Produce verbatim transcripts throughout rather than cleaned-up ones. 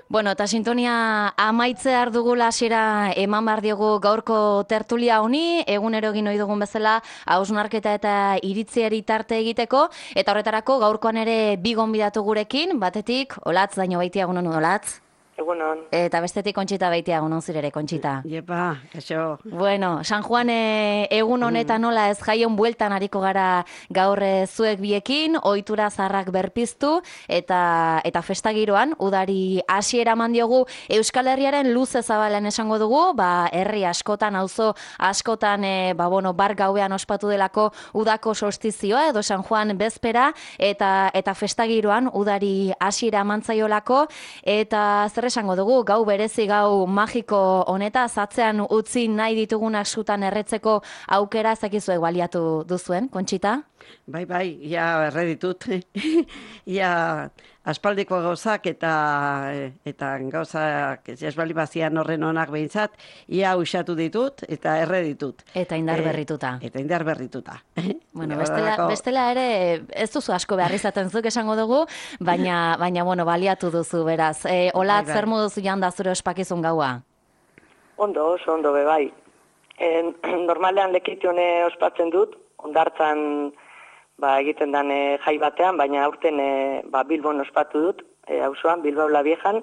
Bueno, eta sintonia amaitzear dugula hasiera eman behar diogu gaurko tertulia honi, egunero egin ohi dugun bezala hausnarketa eta iritziari tarte egiteko, eta horretarako gaurkoan ere bi gonbidatu gurekin, batetik, Olatz Daño Beitia, egunon Olatz. Egunon. Eta bestetik Kontxita Beitia, egunon zirere, Kontxita. Iepa, kaixo. Bueno, San Juan e, egun honetan nola ez jaion bueltan hariko gara gaur e, zuek biekin, ohitura zaharrak berpiztu, eta eta festagiroan, udari hasiera eman diogu Euskal Herriaren luze zabalen esango dugu, ba, herri askotan, auzo askotan, e, ba, bueno, bar gauean ospatu delako udako solstizioa, edo San Juan bezpera, eta eta festagiroan udari hasiera eman zaiolako, eta zer esango dugu, gau berezi, gau magiko honeta, zatzean utzi nahi ditugunak sutan erretzeko aukera, ezakizuek baliatu duzuen, Kontxita? Bai, bai, ia erre ditut. Ia aspaldiko gauzak eta eta gauzak ez bali bazian horren onak behintzat, ia usatu ditut eta erre ditut. Eta indar berrituta. E, eta indar berrituta. Bueno, bestela, bestela ere ez duzu asko behar izaten zuk esango dugu, baina, baina bueno, baliatu duzu beraz. E, Olatz, bai, bai. Zer moduz janda zure ospakizun gaua? Ondo, oso ondo be bai. E, normalean lekitione ospatzen dut, ondartzan ba, egiten dan e, jai batean, baina aurten e, ba, Bilbon ospatu dut, e, auzoan, Bilbao la Viejan,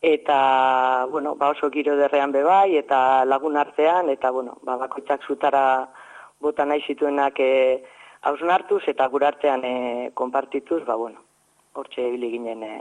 eta bueno, ba, oso giro derrean be bai, eta lagun artean, eta bueno, ba, bakoitzak zutara bota nahi zituenak e, hausnartuz, eta gure artean e, konpartituz, ba, bueno, hortxe ibili ginen e,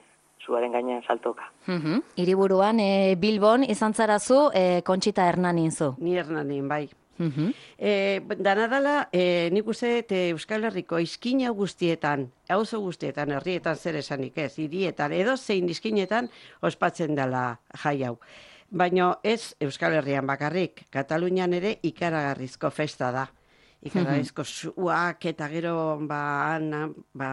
zuaren gainean saltoka. Uh-huh. Hiriburuan, e, Bilbon izan zarazu, e, Kontxita Hernanin zu. Ni Hernanin, bai. Uh-huh. E, dana dala, e, nik uste e, Euskal Herriko izkina guztietan, auzo guztietan, herrietan zer esanik ez, hirietan, edo zein izkinetan ospatzen dela jai hau. Baina ez Euskal Herrian bakarrik, Katalunian ere ikaragarrizko festa da. Ikaragarrizko suak eta gero ba, ba,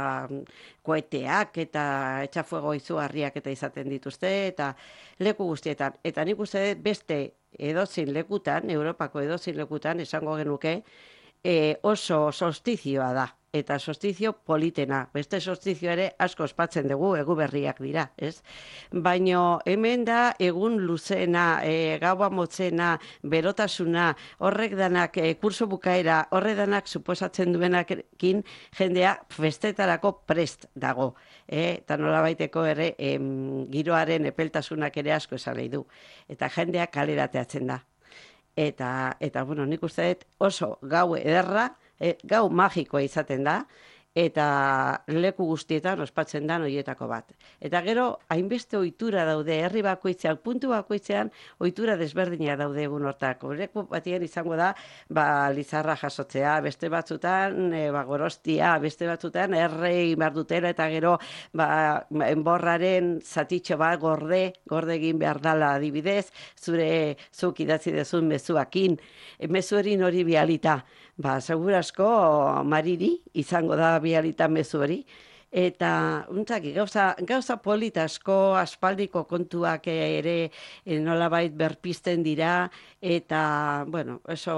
koeteak eta etxafuego izugarriak eta izaten dituzte, eta leku guztietan. Eta nik uste beste edozein lekutan, Europako edozein lekutan, esango genuke, e, oso solstizioa da. Eta solstizio politena. Beste solstizio ere asko ospatzen dugu, egu berriak dira, ez? Baina hemen da egun luzena, e, gaua motzena, berotasuna, horrek danak, e, kurso bukaera, horrek danak suposatzen duenakin jendea festetarako prest dago. E, eta nola baiteko ere em, giroaren epeltasunak ere asko esan nahi du. Eta jendea kalerateatzen da. Eta, eta bueno, nik uste dut oso gau ederra, E, gau magikoa izaten da, eta leku guztietan ospatzen da horietako bat. Eta gero, hainbeste ohitura daude, herri bakoitzean, puntu bakoitzean, ohitura desberdina daude egun hortako. Leku batien izango da, ba, lizarra jasotzea, beste batzutan, e, ba, gorostia, beste batzutan, errei behar dutela, eta gero, ba, enborraren zatitxo bat gorde, gorde egin behar dala adibidez, zure zuk idatzi dezun mezuakin, e, mezuerin hori bialita. Ba, segurasko mariri izango da bialita mezu hori. Eta, untzaki, gauza, gauza politasko, aspaldiko kontuak ere e, nolabait berpizten dira, eta, bueno, eso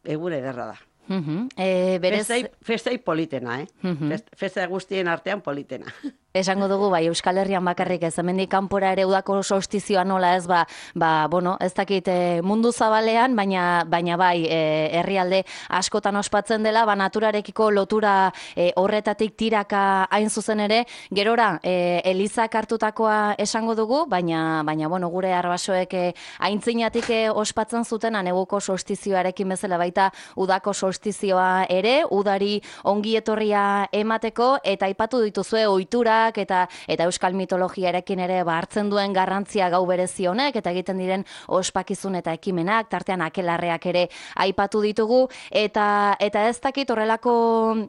egun ederra da. Uh-huh. e, berez... Festai, festai politena, eh? Uh-huh. Fest, festa guztien artean politena. Esango dugu, bai, Euskal Herrian bakarrik ez, hemendik kanpora ere udako solstizioa nola ez, ba, ba bueno, ez dakit e, mundu zabalean, baina, baina bai, e, herrialde askotan ospatzen dela, ba, naturarekiko lotura e, horretatik tiraka hain zuzen ere, gerora, e, Elizak hartutakoa esango dugu, baina, baina bueno, gure arbasoek e, aintzinatik e, ospatzen zutena neguko solstizioarekin bezala baita udako solstizioa ere, udari ongi etorria emateko, eta aipatu dituzue ohitura eta eta euskal mitologiarekin ere ba hartzen duen garrantzia gau berezi honek eta egiten diren ospakizun eta ekimenak, tartean akelarreak ere aipatu ditugu, eta eta ez dakit horrelako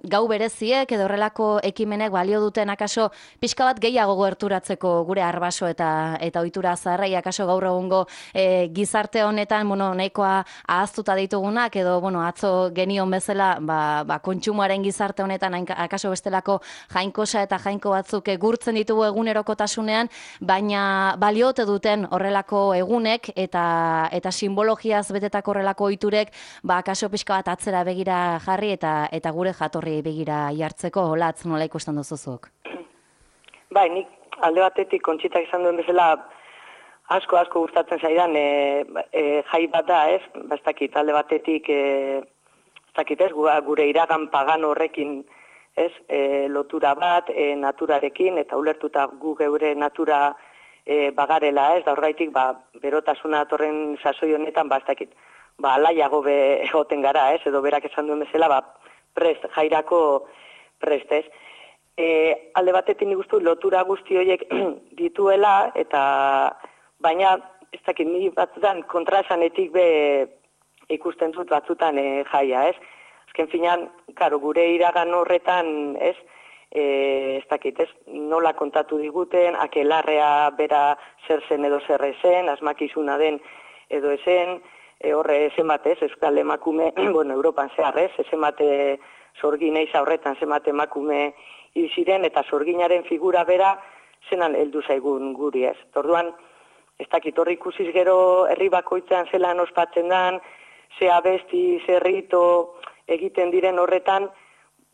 gau bereziek edo horrelako ekimenek balio duten akaso pixka bat gehiago gerturatzeko gure arbaso eta eta ohitura zaharrei akaso gaur egungo e, gizarte honetan, bueno, nahikoa ahaztuta ditugunak edo bueno, atzo genion bezala, ba, ba kontsumoaren gizarte honetan akaso bestelako jainkosa eta jainko batzuk gurtzen ditugu egunerokotasunean, baina baliote duten horrelako egunek eta eta simbologiaz betetako horrelako ohiturek, ba kaso pixka bat atzera begira jarri eta eta gure jatorri begira jartzeko. Olatz, nola ikusten duzuzuk? Bai, nik alde batetik kontxitak izan duen bezala, asko, asko gustatzen zaidan e, e, jai bat da, ez? Ba, ez dakit, alde batetik, e, ez dakit, ez? Gure iragan pagan horrekin, ez? E, lotura bat, e, naturarekin, eta ulertuta gu geure natura e, bagarela, ez? Da horgaitik, ba, berotasuna atorren sasoi honetan, ba, ez dakit, ba, alaiago be egoten gara, ez? Edo berak esan duen bezala, ba, prest, jairako prest, ez? E, alde batetik nik uste lotura guzti horiek dituela, eta baina, ez dakit, ni batzutan kontraesanetik be ikusten dut batzutan e, jaia, ez? Azken finean, karo, gure iragan horretan, ez? E, ez dakit, ez? Nola kontatu diguten, akelarrea bera zer zen edo zer esen, asmakizuna den edo esen, e, horre zenbate, ez? Euskal emakume, bueno, Europan zehar, ez? Zenbate sorgin eiza horretan, zenbate emakume hil ziren, eta sorginaren figura bera zenan heldu zaigun guri, ez? Orduan, ez dakit, horri ikusiz gero herri bakoitzean zelan ospatzen dan, ze abesti, ze rito egiten diren horretan,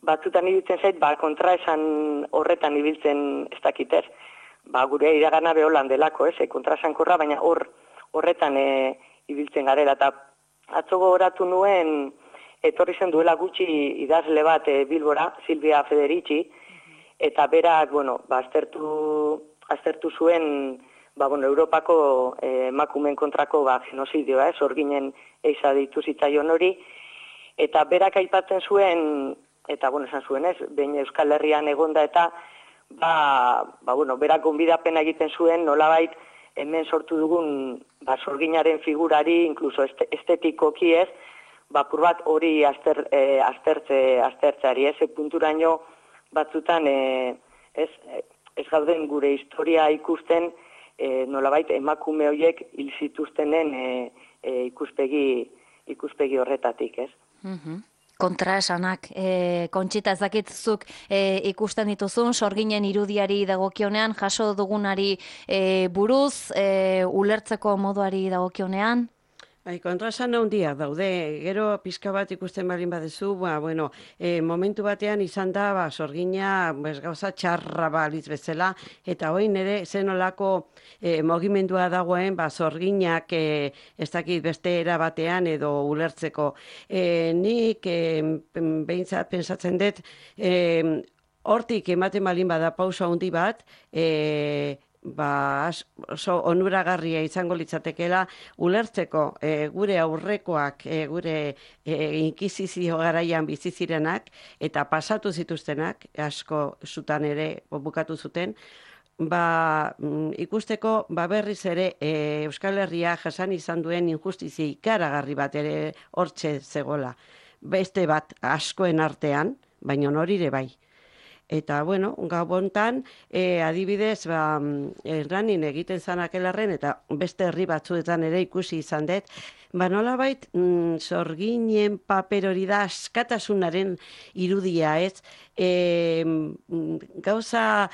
batzutan ibiltzen zait, ba, kontraesan horretan ibiltzen ez dakit, ez? Ba, gure iragana beholan delako, ez? E, kontraesankorra, baina hor horretan e, ibiltzen garela. Eta atzo gogoratu nuen, etorri zen duela gutxi idazle bat e, Bilbora, Silvia Federici, eta berak, bueno, ba, aztertu, aztertu zuen, ba, bueno, Europako eh, emakumeen kontrako ba, genozidioa, eh, sorginen eiza ditu zitzaion hori, eta berak aipatzen zuen, eta, bueno, esan zuen ez, behin Euskal Herrian egonda eta, ba, ba, bueno, berak gonbidapena egiten zuen, nolabait, hemen sortu dugun, ba, sorginaren figurari, inkluso estetikoki ez, ba, pur bat hori azter, eh, aztertze, aztertzeari, ez, punturaino batzutan, eh, ez, ez gauden gure historia ikusten, e, nolabait emakume horiek hil zituztenen e, e, ikuspegi, ikuspegi horretatik, ez? Mhm. Kontraesanak, e, Kontxita, ez dakitzuk e, ikusten dituzun, sorginen irudiari dagokionean, jaso dugunari e, buruz, e, ulertzeko moduari dagokionean? Bai, kontraesan handiak daude, gero pizka bat ikusten balin badezu, ba, bueno, e, momentu batean izan da, ba, sorgina, bez, gauza txarra balitz bezala, eta hoin ere zenolako e, mogimendua dagoen, ba, sorginak e, ez dakit beste era batean edo ulertzeko. E, nik e, behintzat pensatzen dut, e, hortik ematen balin bada pausa handi bat, e, ba, oso onuragarria izango litzatekela ulertzeko e, gure aurrekoak, e, gure e, inkisizio garaian bizi zirenak eta pasatu zituztenak, asko zutan ere bukatu zuten, ba, ikusteko ba, berriz ere e, Euskal Herria jasan izan duen injustizia ikaragarri bat ere hortxe zegola. Beste bat askoen artean, baina norire bai. Eta, bueno, gabontan, e, adibidez, ba, erranin egiten zanakelarren, eta beste herri batzuetan ere ikusi izan dut, ba, nolabait, mm, sorginen paper hori da askatasunaren irudia, ez? E, gauza,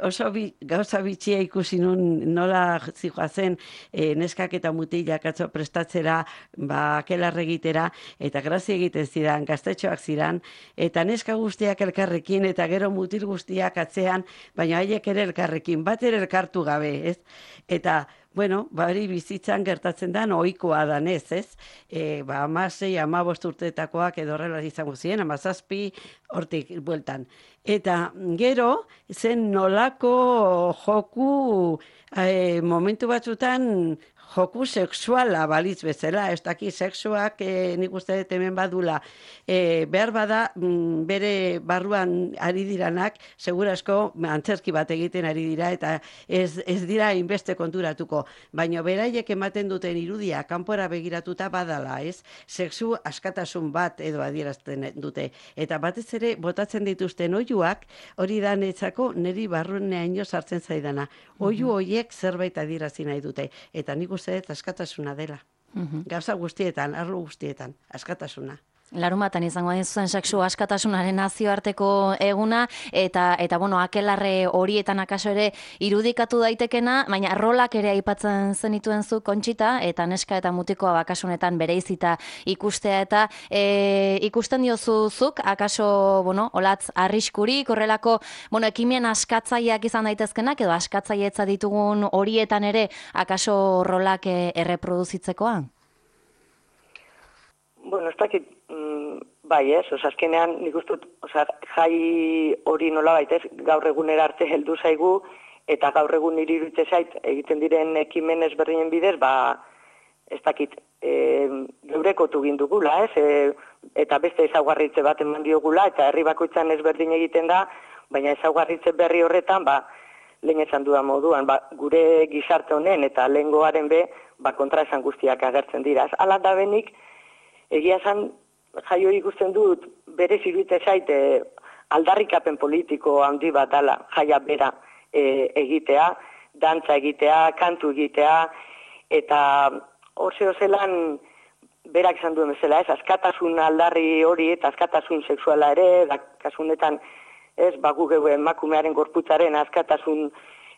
oso bi, gauza bitxia ikusi nun nola zijoazen e, neskak eta mutilak atzo prestatzera, ba, akelarre egitera, eta grazia egiten zidan, gaztetxoak zidan, eta neska guztiak elkarrekin, eta gero mutil guztiak atzean, baina haiek ere elkarrekin, bat ere elkartu gabe, ez? Eta, bueno, bari bizitzan gertatzen da, ohikoa danez, ez? E, ba, amasei, amabost urteetakoak edo horrela izango ziren, amazazpi hortik bueltan. Eta gero, zen nolako joku e, momentu batzutan joku sexuala balitz bezala, ez daki sexuak e, nik uste dut hemen badula, e, behar bada m, bere barruan ari diranak, segurasko antzerki bat egiten ari dira, eta ez, ez dira inbeste konturatuko, baina beraiek ematen duten irudia kanpora begiratuta badala, ez? Sexu askatasun bat edo adierazten dute, eta batez ere botatzen dituzten oihuak, hori da netzako niri barruneaino sartzen zaidana. Oihu horiek zerbait adierazi nahi dute, eta nik uste dut askatasuna dela. Mhm. Gauza guztietan, arlo guztietan, askatasuna. Larumatan izango hain zuen sexu askatasunaren nazioarteko eguna, eta, eta bueno, akelarre horietan akaso ere irudikatu daitekena, baina rolak ere aipatzen zenituen zu, Kontxita, eta neska eta mutikoa bakasunetan bereizita ikustea, eta e, ikusten diozuzuk, akaso, bueno, olatz arriskurik, horrelako, bueno, ekimen askatzaileak izan daitezkenak, edo askatzailetza ditugun horietan ere, akaso rolak e, erreproduzitzekoa? Bueno, ez dakit, mm, bai ez, oza, azkenean nik ustut, oza, jai hori nola baitez, gaur egunera arte heldu zaigu, eta gaur egun niri iruditzen zait, egiten diren ekimen ezberdinen bidez, ba, ez dakit, e, geurekotu gindugula, ez, e, eta beste ezaugarritze bat eman diogula, eta herri bakoitzan ezberdin egiten da, baina ezaugarritze berri horretan, ba, lehen esan dudan moduan, ba, gure gizarte honen eta lehengoaren be, ba, kontra esan guztiak agertzen dira. Hala da benik, egia esan, jai hori ikusten dut, berez iruditzen zaite aldarrikapen politiko handi bat dala, jaia bera e, egitea, dantza egitea, kantu egitea, eta hor zelan berak esan duen bezala, ez, askatasun aldarri hori eta askatasun sexuala ere, da, kasunetan, ez, bagu geu emakumearen gorputzaren askatasun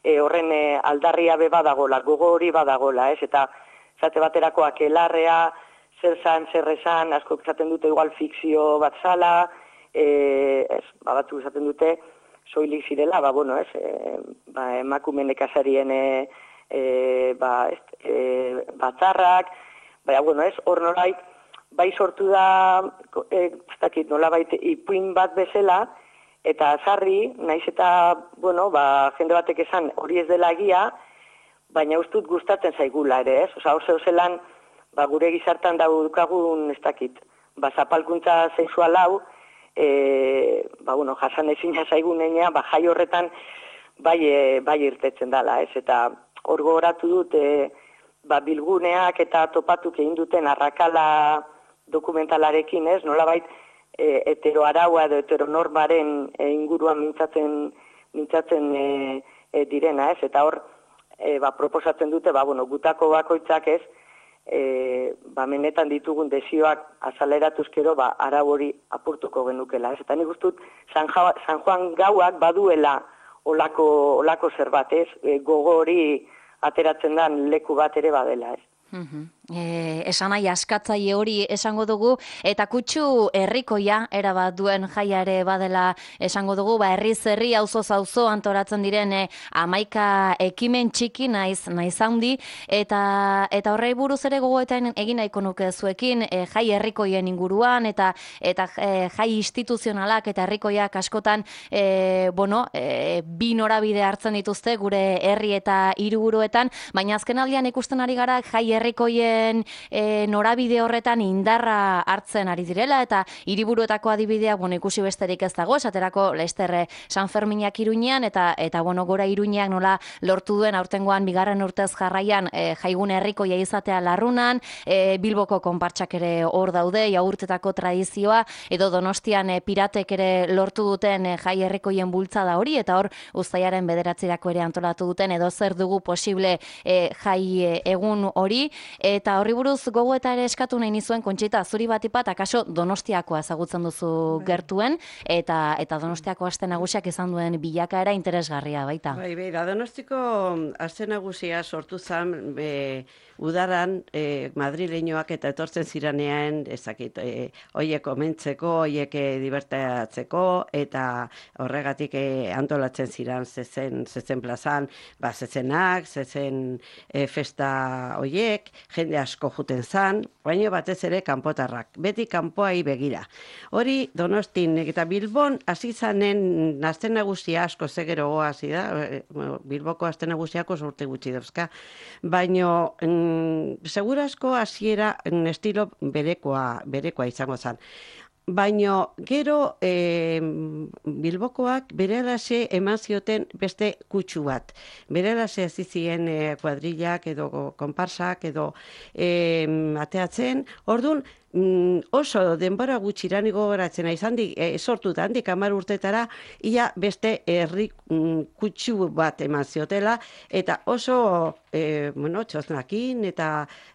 e, horren e, aldarria be badagola, gogo hori badagola, ez, eta zate baterako akelarrea, zer zan, zer esan, asko esaten dute igual fikzio bat zala, e, ez, ba, batzuk esaten dute soilik zirela, ba, bueno, ez, e, ba, emakume nekazarien e, e, ba, ez, e, batzarrak, baina, bueno, ez, hor nolait, bai sortu da, e, ez dakit, nolabait ipuin bat bezala, eta sarri, naiz eta, bueno, ba, jende batek esan hori ez dela egia, baina ustut gustatzen zaigula ere, ez, oza, hor zelan, ba, gure gizartan daukagun, ez dakit, ba, zapalkuntza sexual hau, e, ba, bueno, jasan ezina zaigunean, ba, jai horretan bai, e, bai irtetzen dela, ez, eta hor gogoratu dut, e, ba, bilguneak eta topatuk egin duten arrakala dokumentalarekin, ez, nolabait, e, heteroaraua edo heteronormaren e, inguruan mintzatzen, mintzatzen e, e, direna, ez, eta hor, e, ba, proposatzen dute, ba, bueno, gutako bakoitzak, ez, E, ba, menetan ditugun desioak azaleratuzkero, ba, arau hori apurtuko genukela. Ez? Eta nik ustut, San, ja, San Juan gauak baduela olako, olako zerbait, ez? E, gogo hori ateratzen den leku bat ere badela, ez? Uh-huh. E, esan nahi askatzaile hori esango dugu, eta kutsu herrikoia erabat duen jaia ere badela esango dugu, ba herriz herri auzoz auzo antoratzen diren e, hamaika ekimen txiki naiz naiz handi, eta eta horrei buruz ere gogoetan egin nahiko nuke zuekin, e, jai herrikoien inguruan eta eta e, jai instituzionalak eta herrikoiak askotan e, bueno, e, bi norabide hartzen dituzte gure herri eta hiriburuetan, baina azkenaldian ikusten ari gara jai herrikoien E, norabide horretan indarra hartzen ari direla, eta hiriburuetako adibideak, bueno, ikusi besterik ez dago, esaterako Leicester San Ferminak Iruñean, eta eta bueno, gora Iruñeak nola lortu duen aurtengoan bigarren urtez jarraian e, jaigun herrikoia izatea Larrunan, e, Bilboko konpartsak ere hor daude, jagurtetako tradizioa, edo Donostian e, piratek ere lortu duten e, jai herrikoien bultzada hori, eta hor uztailaren bederatzirako ere antolatu duten, edo zer dugu posible e, jai e, egun hori, eta horri buruz gogoeta ere eskatu nahi nizuen, Kontxita, zuri batipat, akaso Donostiakoa ezagutzen duzu gertuen, eta eta Donostiako aste nagusiak izan duen bilakaera interesgarria baita. Bai, beira, Donostiko aste nagusia sortu zen be, udaran e, madrileñoak eta etortzen ziranean, ezakit, e, oiek omentzeko, oiek divertatzeko, eta horregatik e, antolatzen ziran zezen, zezen plazan, ba, zezenak, zezen e, festa oiek, jende asko juten zan, baina batez ere kanpotarrak, beti kanpoai begira. Hori Donostin eta Bilbon hasi zanen aste nagusia asko zegerogo hasi da, Bilboko aste nagusiako urte gutxi dauzka, baina mm, segurasko hasiera estilo berekoa, berekoa izango zan. Baina gero e, Bilbokoak berelase eman zioten beste kutsu bat. Berelase zizien e, kuadrillak edo konparsak edo e, ateatzen. Orduan, mm, oso denbora gutxira ni gogoratzen naiz handi e, sortuta handik hamar urtetara ia beste herri mm, kutsu bat eman ziotela eta oso e, bueno, txosnakin eta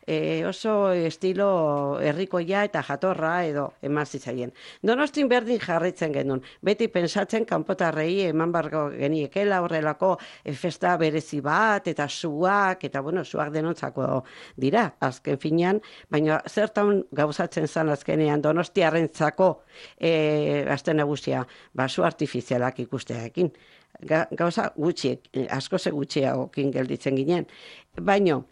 e, oso estilo herrikoia eta jatorra edo eman zitzaien. Donostin berdin jarraitzen genuen. Beti pensatzen kanpotarrei eman bargo geniekela horrelako e, festa berezi bat eta suak eta bueno, suak denontzako dira azken finean, baina zertan gauzatzen zan azkenean Donostiarrentzako e, aste nagusia basu artifizialak ikustearekin. Ga, gauza gutxiek, asko ze gutxiagokin gelditzen ginen. Baino,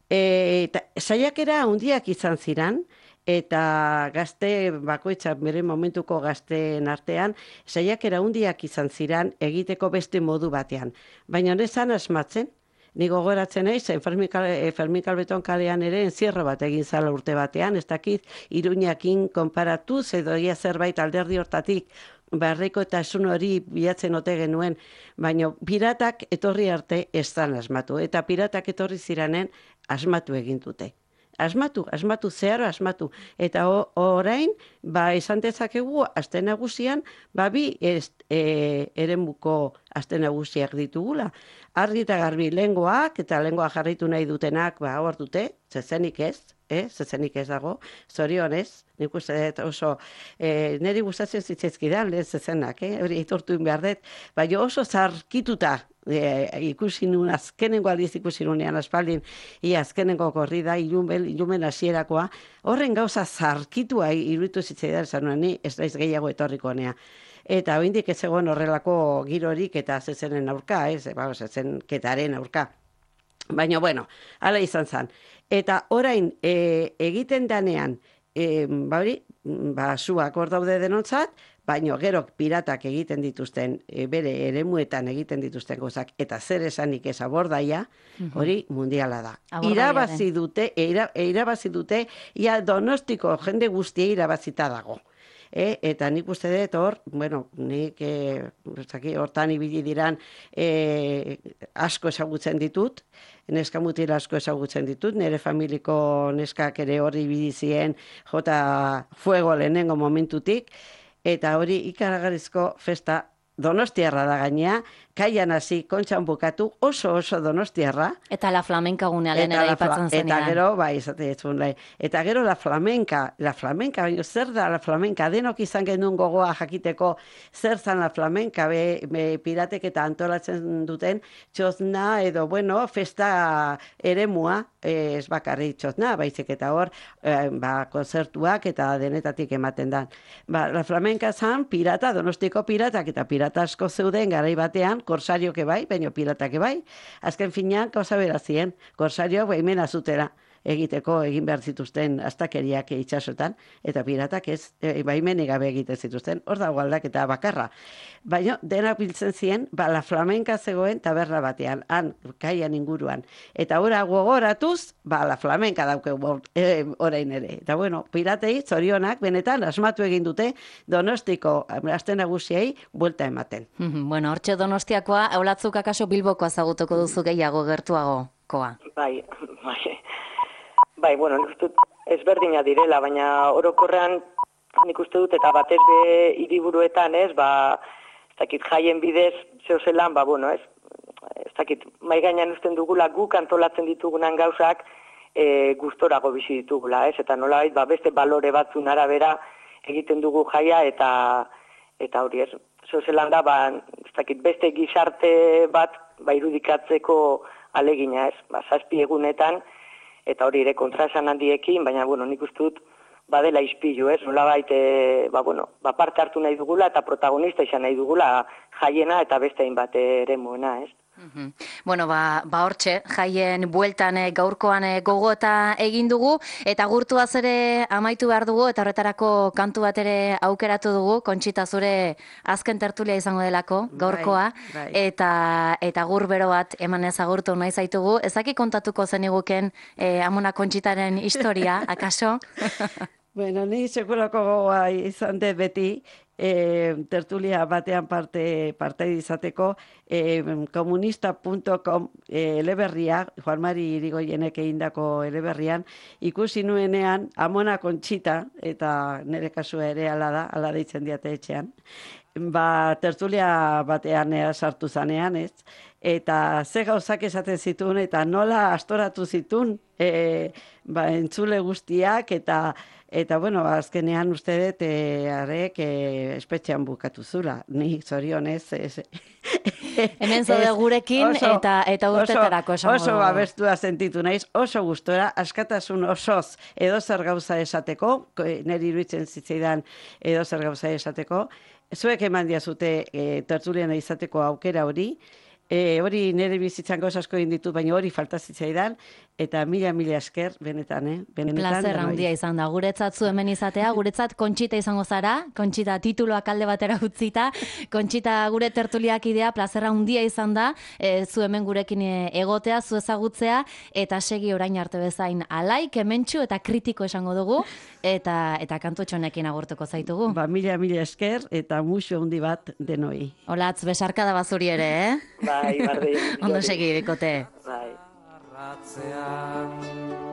e, saiakera handiak izan ziran, eta gazte bakoitza bere momentuko gazteen artean, saiakera handiak izan ziran egiteko beste modu batean. Baina nezan asmatzen, ni gogoratzen naiz, Fermin Kalbeton kalean ere enzierro bat egin zala urte batean, ez dakit Iruñakin konparatuz edo ia zerbait alderdi hortatik barriko eta esun hori bilatzen ote genuen, baina piratak etorri arte ez zan asmatu, eta piratak etorri ziranen asmatu egin dute. Asmatu, asmatu, zeharo asmatu. Eta o, orain, ba, esan dezakegu, aste nagusian, ba, bi ez, e, eremuko aste nagusiak ditugula. Argi eta garbi lengoak, eta lengoa jarritu nahi dutenak, ba, hor dute, zezenik ez, eh? zezenik ez dago, zorionez, nik uste dut oso, e, niri gustatzen zitzaizkidan, lehen zezenak, eh? hori itortu behar dut, baina oso zarkituta, E, ikusi nun, azkenengo aldiz ikusi nunean aspaldin, ia azkenengo korrida, ilumen, ilumen hasierakoa, horren gauza zarkitua iruditu zitzaidan esan nuen, ni ez naiz gehiago etorriko honea. Eta oindik ez egon horrelako girorik eta zezenen aurka, ez, ba, zezenketaren aurka. Baina, bueno, hala izan zen. Eta orain e, egiten danean, e, ba hori, ba, zuak hor daude denontzat, baina gero piratak egiten dituzten, e, bere eremuetan egiten dituzten gozak, eta zer esanik ez abordaia, hori mundiala da. Irabazi dute, ira, irabazi dute, ia Donostiko jende guztia irabazita dago. E, eta nik uste dut hor, bueno, nik e, hortan ibili diran e, asko ezagutzen ditut, neska mutil asko ezagutzen ditut, nire familiko neskak ere hori ibili zien jota fuego lehenengo momentutik, eta hori ikaragarrizko festa donostiarra da gainea, kaian hasi, kontxan bukatu, oso oso donostiarra. Eta la flamenka gunea lehen ere ipatzen zenean. Eta gero, bai, izate etzun, eta gero la flamenka, la flamenka, baina zer da la flamenka, denok izan genuen gogoa jakiteko zer zan la flamenka, be, be piratek eta antolatzen duten txozna edo, bueno, festa eremua, ez bakarri txozna, baizik eta hor, eh, ba, konzertuak eta denetatik ematen da. Ba, la flamenka zan pirata, Donostiko piratak eta pirata asko zeuden garai batean, korsarioke bai, baina piratake bai. Azken finean, gauza berazien, korsarioak baimena zutera egiteko egin behar zituzten astakeriak itxasotan, eta piratak ez, e, baimenik gabe egiten zituzten, hor dago aldaketa bakarra. Baina, denak biltzen ziren, ba, la flamenka zegoen taberna batean, han, kaian inguruan. Eta ora gogoratuz, ba, la flamenka dauke e, orain ere. Eta bueno, piratei, zorionak, benetan, asmatu egin dute, Donostiko aste nagusiei buelta ematen. Bueno, hortxe Donostiakoa, eulatzuk akaso Bilboko ezagutuko duzu gehiago gertuago koa. Bai, bai. Bai, bueno, nik uste dut ezberdina direla, baina orokorrean nik uste dut eta batez be hiriburuetan, ez, ba, ez dakit jaien bidez zeo zelan, ba, bueno, ez, ez dakit mai gainean usten dugula guk antolatzen ditugunan gauzak e, gustorago bizi ditugula, ez, eta nolabait, ba, beste balore batzun arabera egiten dugu jaia eta eta hori ez, zeo zelan da, ba, ez dakit beste gizarte bat, ba, irudikatzeko alegina, ez, ba, zazpi egunetan, eta hori ere kontraesan handiekin, baina, bueno, nik uste dut badela ispilu, ez? Nolabait, e, ba, bueno, ba, parte hartu nahi dugula eta protagonista izan nahi dugula jaiena eta beste hainbat eremuena, ez? Mm-hmm. Bueno, ba, ba hortxe, jaien bueltan e, gaurkoan e, gogota egin dugu, eta gurtuaz ere amaitu behar dugu, eta horretarako kantu bat ere aukeratu dugu, Kontxita zure azken tertulia izango delako, gaurkoa, bai, bai. Eta, eta gur bero bat eman ezagurtu nahi zaitugu. Ezaki kontatuko zeniguken e, Amona Kontxitaren historia, akaso? Bueno, ni sekulako gogoa izan dut beti, e, tertulia batean parte, parte izateko, e, komunista punto com e, eleberria, Juan Mari Irigoyenek egindako eleberrian, ikusi nuenean Amona Kontxita, eta nire kasua ere ala da, ala deitzen diate etxean, ba, tertulia batean ea sartu zanean, ez? Eta ze gauzak esaten zituen, eta nola astoratu zituen, e, ba, entzule guztiak, eta Eta, bueno, azkenean uste dut, e, arek, e, espetxean bukatu zula. Ni zorionez. Ez, Hemen zaude gurekin oso, eta eta urtetarako oso, esango oso dugu. abestua sentitu naiz, oso gustora, askatasun osoz edo zer gauza esateko, niri iruditzen zitzaidan edo zer gauza esateko, zuek eman diazute e, tertuliana izateko aukera hori, E, hori nire bizitzan gauza asko egin ditut, baina hori falta zitzaidan, eta mila mila esker, benetan, eh? Benetan, Plazer handia izan da. Guretzat zu hemen izatea, guretzat Kontxita izango zara, Kontxita tituloak alde batera utzita, Kontxita gure tertuliak idea, plazer handia izan da, e, zu hemen gurekin egotea, zu ezagutzea, eta segi orain arte bezain alai, kementxu eta kritiko esango dugu, eta eta kantutxonekin agurtuko zaitugu. Ba, mila mila esker, eta musu handi bat denoi. Olatz, besarka da bazuri ere, eh? Bai, bardin. Ondo segi, bikote. Bai. Arratzean